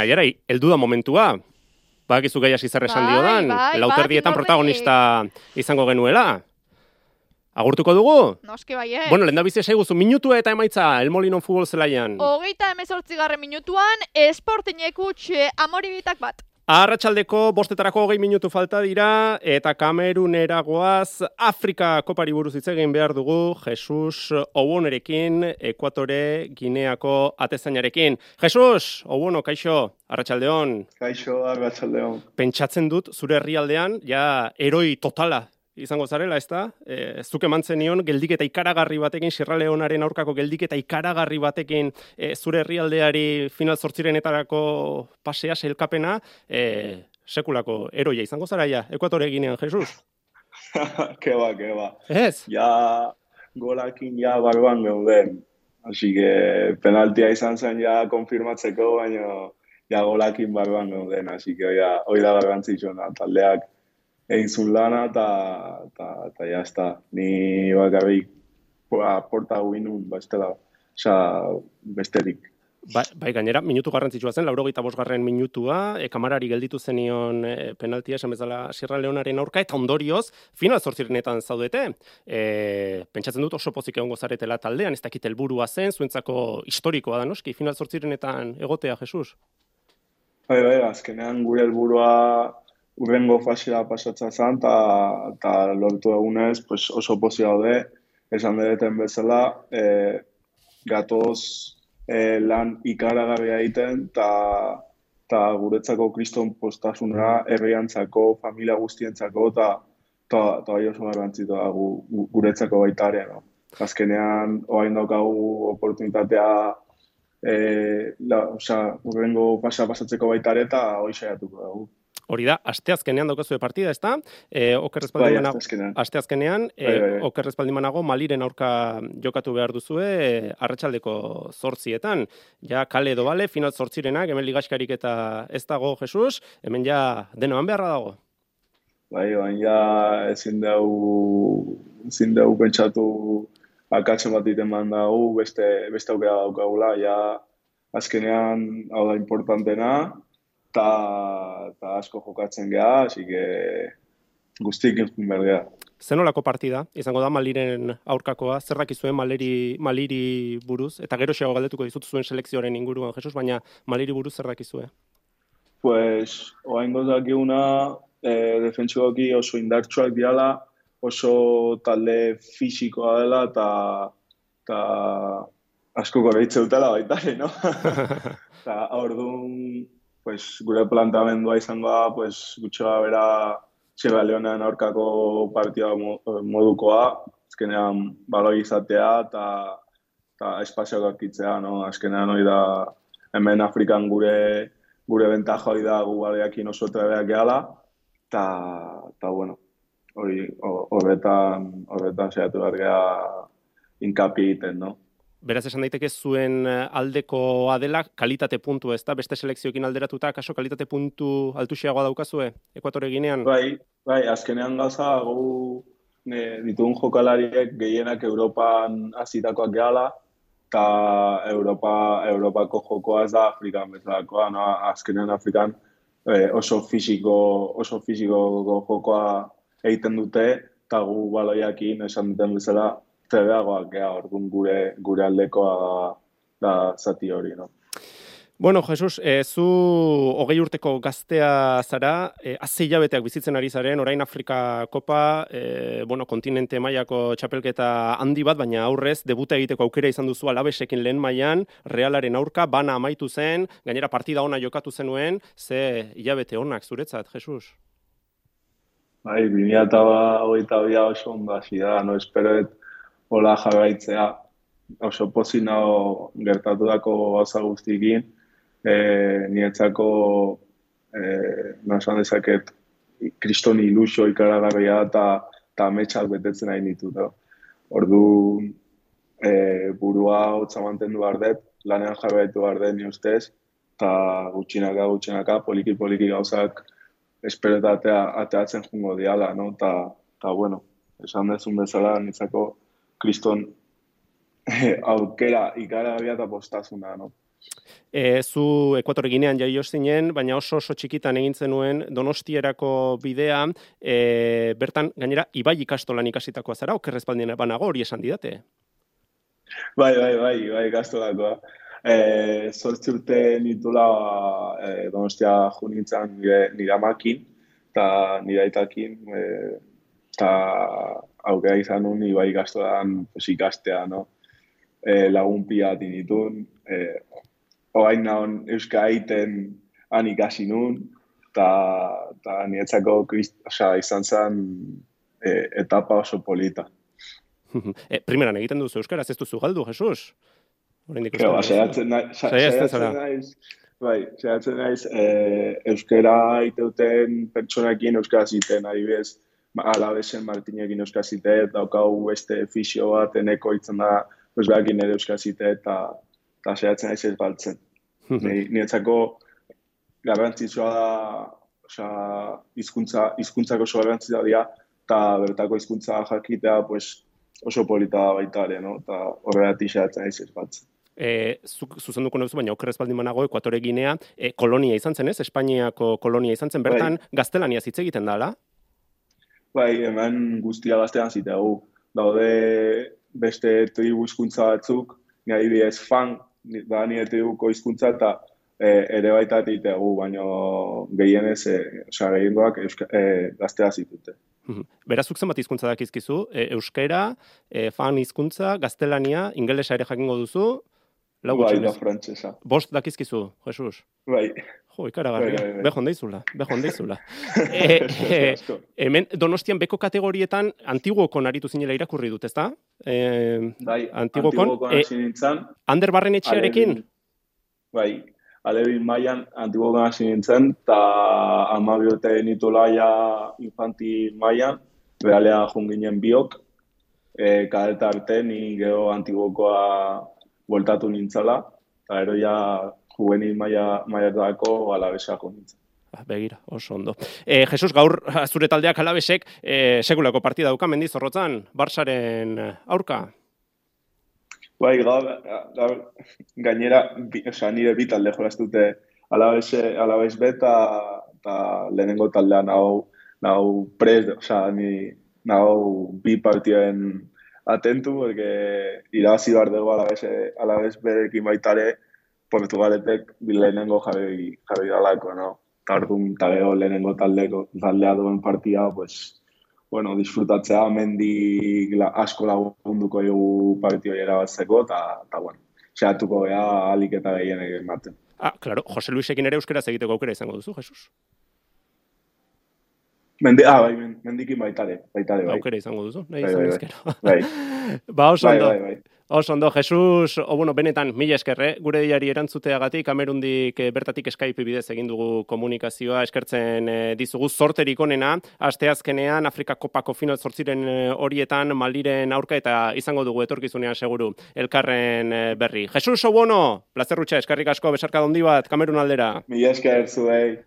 Aiara, heldu da momentua. Badakizu gai hasi zer esan diodan, lauterdietan protagonista izango genuela. Agurtuko dugu? Noski baiet. Bueno, lehendabizi esaiguzu, minutua eta emaitza, El Molino futbol zelaian. 38. minutuan, Sportingek Amoribitak bat. Arratsaldeko 5:20 minutu falta dira, eta Kamerunera goaz, Afrika kopari buruz hitz egin behar dugu, Jesus Owonerekin, Ekuatore Gineako atezainarekin. Jesus, Owono, kaixo, arratsaldeon. Kaixo, arratsaldeon. Pentsatzen dut, zure herrialdean, ja, heroi totala izango zarela, ezta? Zuk emantzen nion, geldiketa ikaragarri batekin, Sierra Leonearen aurkako geldiketa ikaragarri batekin, zure herrialdeari final 8etarako pasea, sailkapena, sekulako eroia izango zara ja, Ekuatore Ginean, Jesus? Keba. Ez? Ja, golakin ja barruan geuden. Así que penaltia izan zen ja konfirmatzeko, baina ja golakin barruan geuden. Así que hoi da garrantzitsuena, taldeak egin zuen lana, eta ya está. Ni bakarrik porta guinun, besterik. Bai, gainera, minutu garrantzitsua zen, 85. minutua, kamarari gelditu zenion penaltia esan bezala Sierra Leonearen aurka, eta ondorioz, final 8etan zaudete. Pentsatzen dut oso pozik egongo zaretela taldean, ez dakit helburua zen, zuentzako historikoa da noski, final 8etan egotea, Jesus? Bai, azkenean gure helburua urrengo fasea pasatzea zen, eta lortu egunez oso pozik daude, esan dereten bezala, gatoz lan ikaragarria egiten, eta guretzako kriston postasuna, herriantzako, familia guztientzako, eta oso garrantzitua guretzako baita ere. No? Azkenean, orain daukagu oportunitatea, urrengo fasea pasatzeko baita ere, eta hori saiatuko dugu. Hori da, asteazkenean daukazue partida, ezta? Asteazkenean, Oker Espaldimanago Maliren aurka jokatu behar duzue, arratsaldeko 8etan. Ja, kale edo bale, final 8erenak, hemen ligaxkarik eta ez dago, Jesus, hemen ja denoan beharra dago. Bai, ja ezin dugu pentsatu akatzen bat iten dago, beste aukera daukagula, ja azkenean hau da importantena, eta asko jokatzen geha, así que guztik entzun behar geha. Zenolako partida? Izango da Maliren aurkakoa, zer dakizuen Maliri buruz? Eta gero xeago galdetuko dizut zuen selekzioaren inguruan, Jesus, baina Maliri buruz zer dakizue? Pues, oain gozakiguna, defentsioki oso indartsuak diala, oso talde fisikoa dela, eta asko korreitze dutela baita, no? Eta orduan, gure plantamendua izango da, gutxoa bera Sierra Leonean aurkako partida modukoa, azkenean baloi izatea eta espazioak aurkitzea, no? Azkenean hori da, hemen Afrikan gure bentaja hori da gu baleakin oso trebeak gehala, eta bueno, horretan saiatu behar geha inkapi egiten, no? Beraz esan daiteke zuen aldekoa dela kalitate puntu, ez da? Beste selekzioekin alderatuta, kaso kalitate puntu altuxiagoa daukazue, Ekuatore Ginean? Bai, azkenean gauza, ditugun jokalariek gehienak Europan hasitakoak gehala, eta Europako jokoa ez da Afrikan bezalakoa, no? Azkenean Afrikan oso fisiko jokoa egiten dute, eta gu baloiakin esan duten bezala, trebeagoak geha, orduan gure aldekoa da zati hori, no? Bueno, Jesus, zu 20 urteko gaztea zara, haze hilabeteak bizitzen ari zaren, orain Afrika Kopa, kontinente mailako txapelketa handi bat, baina aurrez, debuta egiteko aukera izan duzu Alavesekin lehen mailan, Realaren aurka, bana amaitu zen, gainera partida ona jokatu zenuen, ze hilabete onak zuretzat, Jesus? Bai, 2022 oso ondo hasi da, no esperoet hola jarraitzea, oso pozik nago gertatu dako gauza guztikin, niretzako, nasan dezaket, kriston ilusio ikaragarria eta ametsak betetzen nahi ditu. Ordu burua hotza mantendu behar dut, lanean jarraitu behar dut ni ustez, eta gutxinaka, poliki gauzak esperetatea ateatzen jungo diala, no? Eta bueno, esan dezun bezala, niretzako kriston aukera ikaragarria eta postasuna, no? Zu Ekuatore Ginean jaio zinen, baina oso txikitan egin zenuen Donostierako bidea, bertan gainera Ibai ikastolan ikasitakoa zara, oker ez banago hori esan didate? Bai, ikastolakoa. 8 urte nitula Donostia jo nintzen nire amakin, eta nire aitakin, eta aukera izan nun Ibai ikastolan ikastea, no? Lagun pila dinitun, orain nahon euska egiten han ikasi nun, eta niretzako izan zen etapa oso polita. Primeran egiten duzu euskaraz, ez duzu galdu, Jesus? Saiatzen naiz, euskara iteuten pertsonakin euskaraz iten, adibidez, Alabesen Martinekin euskaraz ite, daukau beste fisio bat, eneko itzen da, behakin ere euskaraz ite, eta saiatzen naiz ez baltzen. Niretzako garrantzitsua da, hizkuntzako oso garrantzitsua dira, eta bertako hizkuntza jakitea oso polita baita ere, no? Eta horregatik saiatzen naiz ez baltzen. Zuzenduko nauzu, baina okerrez baldin banago Ekuatore Ginea, kolonia izan zen, ez? Espainiako kolonia izan zen, bertan gaztelaniaz hitz egiten da, ala? Bai, hemen guztia gaztelan zitegu. Daude beste tribu hizkuntza batzuk, nire adibidez fan, da nire tribuko hizkuntza eta ere baita egitegu, baina gehienez, gehiengoak gaztela zitute. Berazuk zenbat hizkuntza dakizkizu? Euskera, fan hizkuntza, gaztelania, ingelesa ere jakingo duzu? Bai, da frantsesa. 5 dakizkizu, Jesus? Bai. Jo, ikaragarria. Behon deizula. Hemen Donostian beko kategorietan Antiguokon aritu zinela irakurri dut, ezta? Bai, Antiguokon hasi nintzen. Ander Barrenetxearekin? Bai, Alebin mailan Antiguokon hasi nintzen, eta 12 urte nitula ja infantil mailan, realea junginen biok, kadeta arte ni gero Antiguokoa bueltatu nintzala, eta ero ja juvenil mailatako Alabesako nintzen. Begira, oso ondo. Jesus, gaur zure taldeak Alabesek sekulako partida dauka Mendizorrotzan, Barsaren aurka? Bai, gainera, nire bi talde jolaztute Alabes beta eta lehenengo taldea nahu prest, nahu bi partiden atentu, porque irabazi behar dugu Alabes berekin baitare, Portugaletek lehenengo jarri dalako, no? Eta orduan taleo lehenengo taldea duen partida, disfrutatzea, mendi asko lagunduko dugu partidoi erabatzeko, eta sehatuko gea alik eta gehienek ematen. Claro, Jose Luisekin ere euskeraz egiteko aukera izango duzu, Jesus? Mendikin baitare, bai. Aukera izango duzu, nahi izan ezkero. Bai. Oso ondo. Oso ondo, Jesus, benetan, mila eskerre, gure diari erantzuteagatik, Kamerundik bertatik Skype bidez egin dugu komunikazioa, eskertzen dizugu zorterik onena, asteazkenean Afrika Kopako final 8 horietan Maliren aurka eta izango dugu etorkizunean seguru elkarren berri. Jesus, plazer rutxa, eskerrik asko, besarka handi bat, Kamerun aldera. Mila esker zuei.